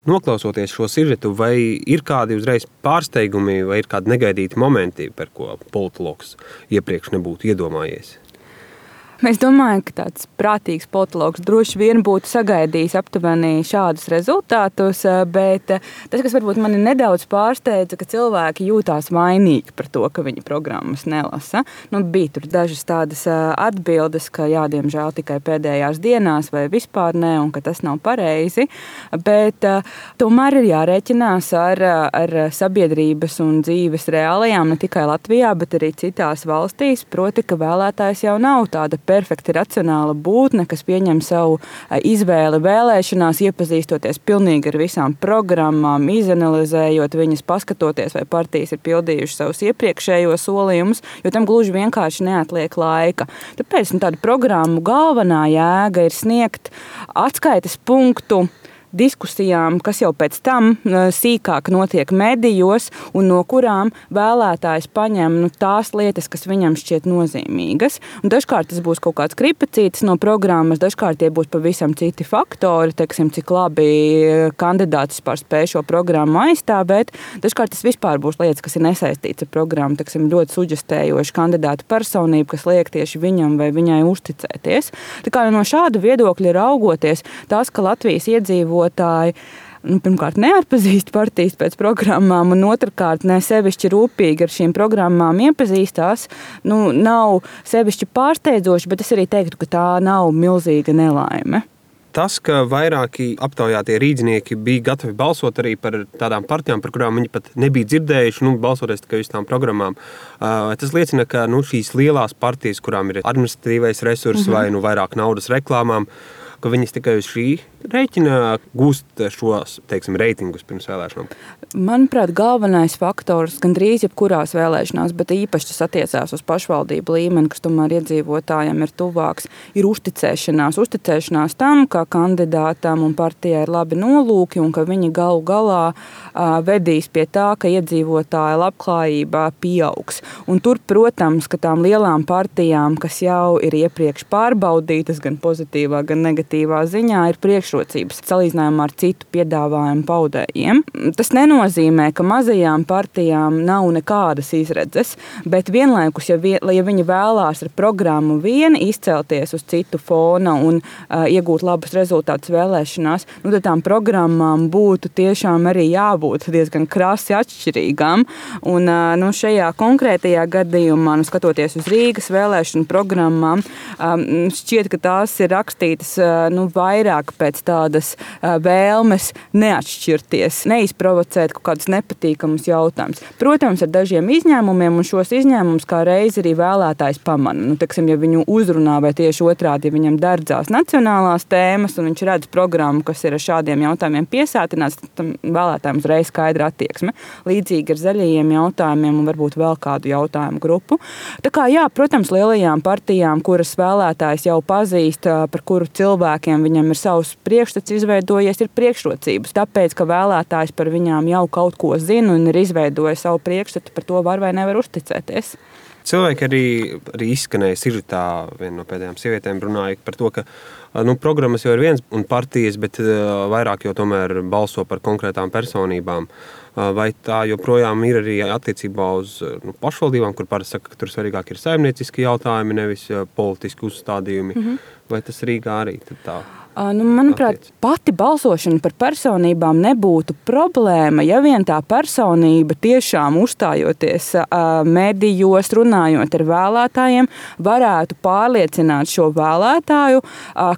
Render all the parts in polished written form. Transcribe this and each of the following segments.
Noklausoties šo sižetu, vai ir kādi uzreiz pārsteigumi vai ir kādi negaidīti momenti, par ko politologs iepriekš nebūtu iedomājies? Es domāju, ka tāds prātīgs politologs droši vien būtu sagaidījis aptuveni šādus rezultātus, bet tas, kas varbūt mani nedaudz pārsteidza, ka cilvēki jūtās vainīgi par to, ka viņi programmas nelasa. Bija tur dažas tādas atbildes, ka diemžēl tikai pēdējās dienās vai vispār ne, un ka tas nav pareizi, bet tomēr ir jārēķinās ar sabiedrības un dzīves reālajām, ne tikai Latvijā, bet arī citās valstīs, proti, ka vēlētājs jau nav tāda perfekti racionāla būtne, kas pieņem savu izvēli vēlēšanās, iepazīstoties pilnīgi ar visām programmām, izanalizējot viņas, paskatoties, vai partijas ir pildījuši savus iepriekšējos solījumus, jo tam gluži vienkārši neatliek laika. Tāpēc tādu programmu galvenā jēga ir sniegt atskaites punktu diskusijām, kas jau pēc tam sīkāk notiek medijos un no kurām vēlētājs paņem tās lietas, kas viņam šķiet nozīmīgas. Un dažkārt tas būs kaut kāds kripacītis no programmas, dažkārt tie būs pavisam citi faktori, teiksim, cik labi kandidāts spēj šo programmu aizstāvēt. Dažkārt tas vispār būs lietas, kas ir nesaistīts ar programmu, teiksim, ļoti suģestējoši kandidāta personība, kas liek tieši viņam vai viņai uzticēties. Tā kā no šāda viedokļa raugoties, tas, ka Latvijas iedzīvotāji pirmkārt neatpazīst partijas pēc programmām un otrkārt ne sevišķi rūpīgi ar šīm programmām iepazīstās, nav sevišķi pārsteidzoši, bet es arī teiktu, ka tā nav milzīga nelaime. Tas, ka vairāki aptaujātie rīdzinieki bija gatavi balsot arī par tādām partijām, par kurām viņi pat nebija dzirdējuši, balsoties tikai uz tām programmām, tas liecina, ka šīs lielās partijas, kurām ir administratīvais resurss vai vairāk naudas reklāmām, ka viņas tikai uz šī rēķina gūst šos, reitingus pirms vēlēšanām? Manuprāt, galvenais faktors gandrīz jebkurās vēlēšanās, bet īpaši tas attiecās uz pašvaldību līmeni, kas tomēr iedzīvotājiem ir tuvāks, ir uzticēšanās. Uzticēšanās tam, ka kandidātam un partijai ir labi nolūki un ka viņi galu galā vedīs pie tā, ka iedzīvotāja labklājība pieaugs. Un tur, protams, ka tām lielām partijām, kas jau ir iepriekš pārbaudītas gan pozitīvā, gan negatīvā ziņā, ir priekšrocības salīdzinājumā ar citu piedāvājumu paudējiem. Tas nenozīmē, ka mazajām partijām nav nekādas izredzes, bet vienlaikus, ja viņi vēlās ar programmu vien izcelties uz citu fona un iegūt labus rezultātus vēlēšanās, tad tām programmām būtu tiešām arī jābūt diezgan krasi atšķirīgām. Un šajā konkrētajā gadījumā, skatoties uz Rīgas vēlēšanu programmām, šķiet, ka tās ir rakstītas vairāk pēc tādas vēlmes neatšķirties, neizprovocēt kaut kādus nepatīkamus jautājumus. Protams, ar dažiem izņēmumiem, un šos izņēmumus kā reiz arī vēlētājs pamana. Ja viņu uzrunā vai tieši otrādi, ja viņam derdzās nacionālās tēmas un viņš redz programmu, kas ir ar šādiem jautājumiem piesātināts, tad vēlētājiem uzreiz skaidra attieksme. Līdzīgi ar zaļajiem jautājumiem un varbūt vēl kādu jautājumu grupu. Tā kā, protams, lielajām partijām, kuras vēlētājs jau pazīst, par kuru cilvēkiem viņam ir savs priekšstats izveidojies, ir priekšrocības. Tāpēc, ka vēlētājs par viņām jau kaut ko zina un ir izveidojis savu priekšstatu, par to var vai nevar uzticēties. Cilvēki arī izskanēja sižetā, viena no pēdējām sievietēm runāja par to, ka programmas jau ir viens un partijas, bet vairāk jau tomēr balso par konkrētām personībām. Vai tā joprojām ir arī attiecībā uz pašvaldībām, kur parasti saka, ka tur svarīgāk ir saimnieciski jautājumi, nevis politiski uzstādījumi? Vai tas Rīgā arī tā? Manuprāt, pati balsošana par personībām nebūtu problēma, ja vien tā personība tiešām uzstājoties medijos, runājot ar vēlētājiem, varētu pārliecināt šo vēlētāju,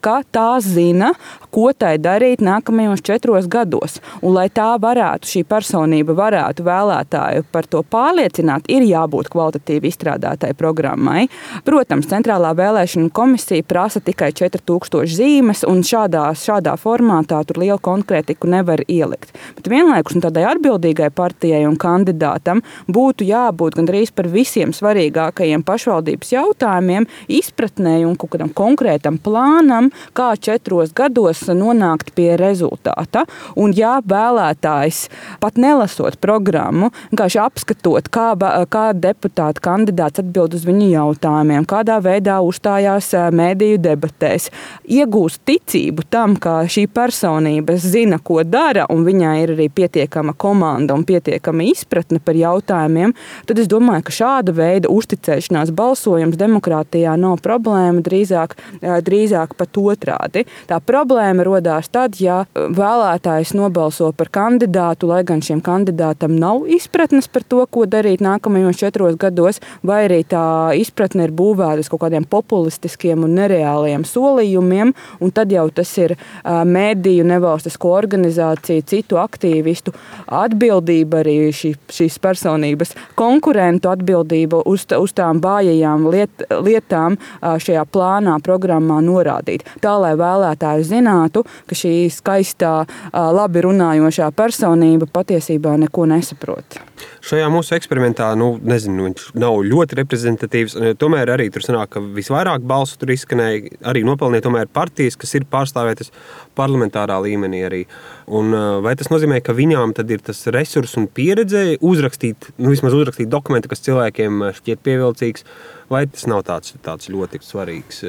ka tā zina, ko tai darīt nākamajos 4 gados. Un, lai tā varētu, šī personība varētu vēlētāju par to pārliecināt, ir jābūt kvalitatīvi izstrādātai programmai. Protams, Centrālā vēlēšana komisija prasa tikai 4000 zīmes, un šādā formātā tur lielu konkrētiku nevar ielikt. Bet vienlaikus tādai atbildīgai partijai un kandidātam būtu jābūt gandrīz par visiem svarīgākajiem pašvaldības jautājumiem, izpratnē un kaut kādam konkrētam plānam, kā 4 gados vēlēšanās nonākt pie rezultāta. Un ja vēlētājs pat nelasot programmu, vienkārši apskatot, kā deputāta kandidāts atbild uz viņu jautājumiem, kādā veidā uzstājās mēdīju debatēs, iegūst ticību tam, ka šī personība zina, ko dara, un viņai ir arī pietiekama komanda un pietiekama izpratne par jautājumiem, tad es domāju, ka šāda veida uzticēšanās balsojums demokrātijā nav problēma, drīzāk pat otrādi. Tā problēma rodās tad, ja vēlētājs nobalso par kandidātu, lai gan šiem kandidātam nav izpratnes par to, ko darīt nākamajos 4 gados, vai arī tā izpratne ir būvēta uz kaut kādiem populistiskiem un nereāliem solījumiem, un tad jau tas ir mēdīju, nevalstisko organizāciju, citu aktīvistu atbildība, arī šīs personības konkurentu atbildība uz tām vājajām lietām šajā plānā, programmā norādīt. Tā, lai vēlētāji zinātu, ka šī skaistā, labi runājošā personība patiesībā neko nesaprot. Šajā mūsu eksperimentā, viņš nav ļoti reprezentatīvs, tomēr arī tur sanāk, ka visvairāk balsu tur izskanēja, arī nopelnīja tomēr partijas, kas ir pārstāvētas parlamentārā līmenī arī. Un vai tas nozīmē, ka viņām tad ir tas resurs un pieredze vismaz uzrakstīt dokumentu, kas cilvēkiem šķiet pievilcīgs, vai tas nav tāds ļoti svarīgs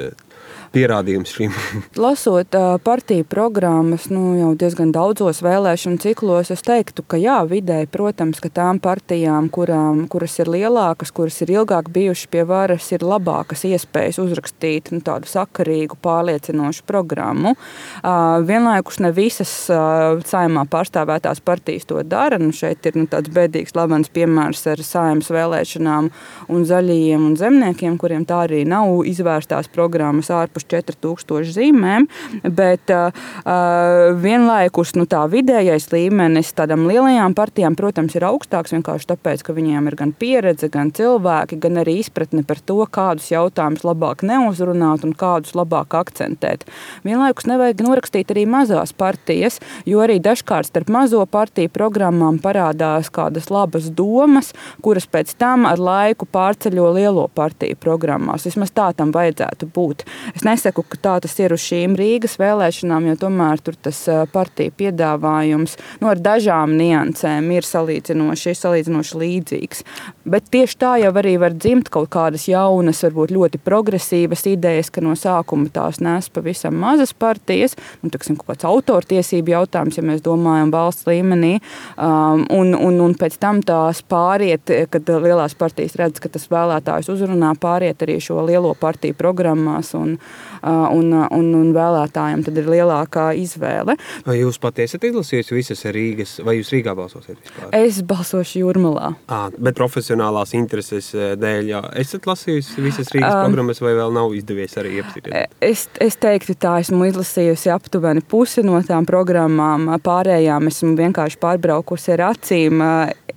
pierādījums šīm? Lasot partiju programmas, jau diezgan daudzos vēlēšanu ciklos, es teiktu, ka jā, vidēji, protams, ka tām partijām, kuras ir lielākas, kuras ir ilgāk bijušas pie varas, ir labākas iespējas uzrakstīt tādu sakarīgu, pārliecinošu programmu. Vienlaikus ne visas Saeimā pārstāvētās partijas to dara. Šeit ir tāds bēdīgs slavens piemērs ar Saeimas vēlēšanām un Zaļajiem un Zemniekiem, kuriem tā arī nav izvērstās programmas ārpus 4000 zīmēm, bet vienlaikus tā vidējais līmenis tādām lielajām partijām, protams, ir augstāks vienkārši tāpēc, ka viņiem ir gan pieredze, gan cilvēki, gan arī izpratne par to, kādus jautājumus labāk neuzrunāt un kādus labāk akcentēt. Vienlaikus nevajag norakstīt arī mazās partijas, jo arī dažkārt starp mazo partiju programmām parādās kādas labas domas, kuras pēc tam ar laiku pārceļo lielo partiju programmās. Vismaz tā tam vajadzētu būt. Es nesaku, ka tā tas ir uz šīm Rīgas vēlēšanām, jo tomēr tur tas partiju piedāvājums ar dažām niansēm ir salīdzinoši līdzīgs. Bet tieši tā jau arī var dzimt kaut kādas jaunas, varbūt ļoti progresīvas idejas, ka no sākuma tās nes pavisam mazas partijas, kaut kāds autortiesību jautājums, ja mēs domājam valsts līmenī, un pēc tam tās pāriet, kad lielās partijas redz, ka tas vēlētājus uzrunā, pāriet arī šo lielo partiju programmās un vēlētājiem tad ir lielākā izvēle. Vai jūs pati esat izlasījusi visas Rīgas, vai jūs Rīgā balsosiet vispār? Es balsošu Jūrmalā. Bet profesionālās intereses dēļ, esat lasījusi visas Rīgas programmas, vai vēl nav izdevies arī iepazīties? Es teiktu tā, esmu izlasījusi aptuveni pusi no tām programmām, pārējām esmu vienkārši pārbraukusi ar acīm,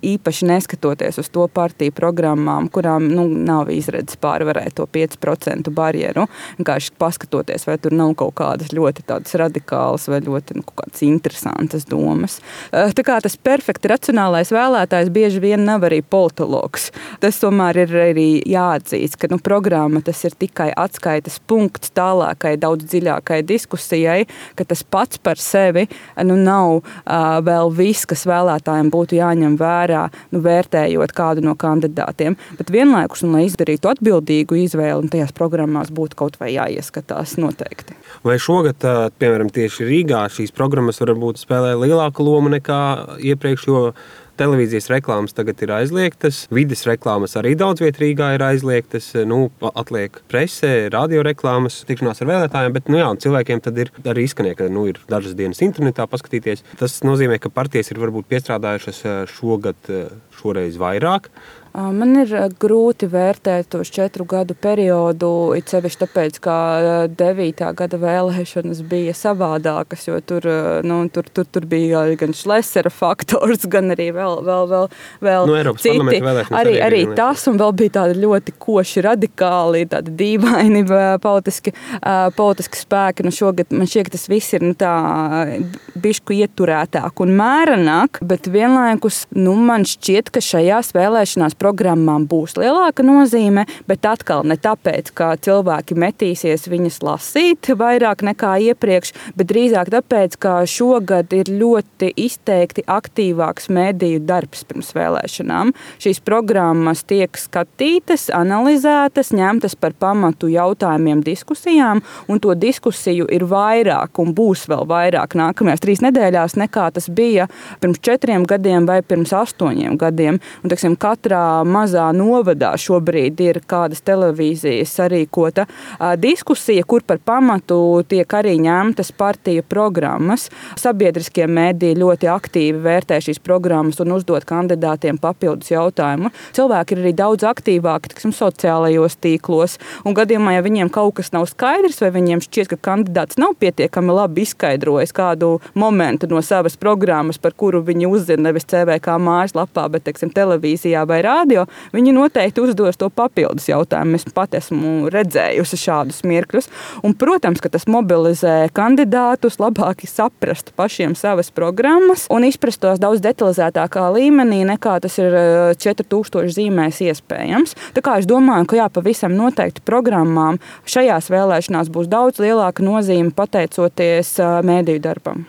īpaši neskatoties uz to partiju programmām, kurām nav izredzes pārvarēt to 5% barjeru. Vienkārši paskatoties, vai tur nav kaut kādas ļoti tādas radikālas vai ļoti kaut kādas interesantas domas. Tā kā tas perfekti racionālais vēlētājs bieži vien nav arī politologs. Tas tomēr ir arī jāatzīst, ka programma tas ir tikai atskaites punkts tālākai, daudz dziļākai diskusijai, ka tas pats par sevi nav vēl viss, kas vēlētājiem būtu jāņem vērā, vērtējot kādu no kandidātiem. Bet vienlaikus, lai izdarītu atbildīgu izvēli, un tajās programmās būtu kaut vai jāieskatās noteikti. Vai šogad, piemēram, tieši Rīgā šīs programmas varbūt spēlē lielāku lomu nekā iepriekš, jo televīzijas reklāmas tagad ir aizliegtas, vides reklāmas arī daudz viet Rīgā ir aizliegtas, atliek presē, radio reklāmas, tikšanās ar vēlētājiem, bet cilvēkiem tad ir arī izskanēja, ka ir dažas dienas internetā paskatīties. Tas nozīmē, ka partijas ir varbūt piestrādājušas šoreiz vairāk. Man ir grūti vērtēt tos 4 gadu periodu, it sevišķi tāpēc, ka 9. gada vēlēšanas bija savādākas, jo tur bija gan Šlesera faktors, gan arī vēl citi. Arī tas, un vēl bija tādi ļoti koši radikāli, tādi dīvaini politiski spēki. Šogad man šķiet, ka tas viss ir bišķi ieturētāk un mērenāk, bet vienlaikus man šķiet, ka šajās vēlēšanās programmām būs lielāka nozīme, bet atkal ne tāpēc, ka cilvēki metīsies viņas lasīt vairāk nekā iepriekš, bet drīzāk tāpēc, ka šogad ir ļoti izteikti aktīvāks mediju darbs pirms vēlēšanām. Šīs programmas tiek skatītas, analizētas, ņemtas par pamatu jautājumiem, diskusijām, un to diskusiju ir vairāk un būs vēl vairāk nākamajās 3 nedēļās, nekā tas bija pirms 4 gadiem vai pirms 8 gadiem. Un, teiksim, katrā mazā novadā šobrīd ir kādas televīzijas sarīkota diskusija, kur par pamatu tiek arī ņemtas partiju programmas. Sabiedriskie mediji ļoti aktīvi vērtē šīs programmas un uzdod kandidātiem papildus jautājumu. Cilvēki ir arī daudz aktīvāki, teiksim, sociālajos tīklos, un gadījumā, ja viņiem kaut kas nav skaidrs, vai viņiem šķiet, ka kandidāts nav pietiekami labi izskaidrojis kādu momentu no savas programmas, par kuru viņi uzzina nevis CVK mājaslapā, bet, teiksim, televīzijā vai rādio, viņi noteikti uzdos to papildus jautājumu. Es pat esmu redzējusi šādus mirkļus. Un, protams, ka tas mobilizē kandidātus labāk saprast pašiem savas programmas un izprast tos daudz detalizētākā līmenī, nekā tas ir 4000 zīmēs iespējams. Tā kā es domāju, ka jā, pavisam noteikti programmām šajās vēlēšanās būs daudz lielāka nozīme pateicoties mediju darbam.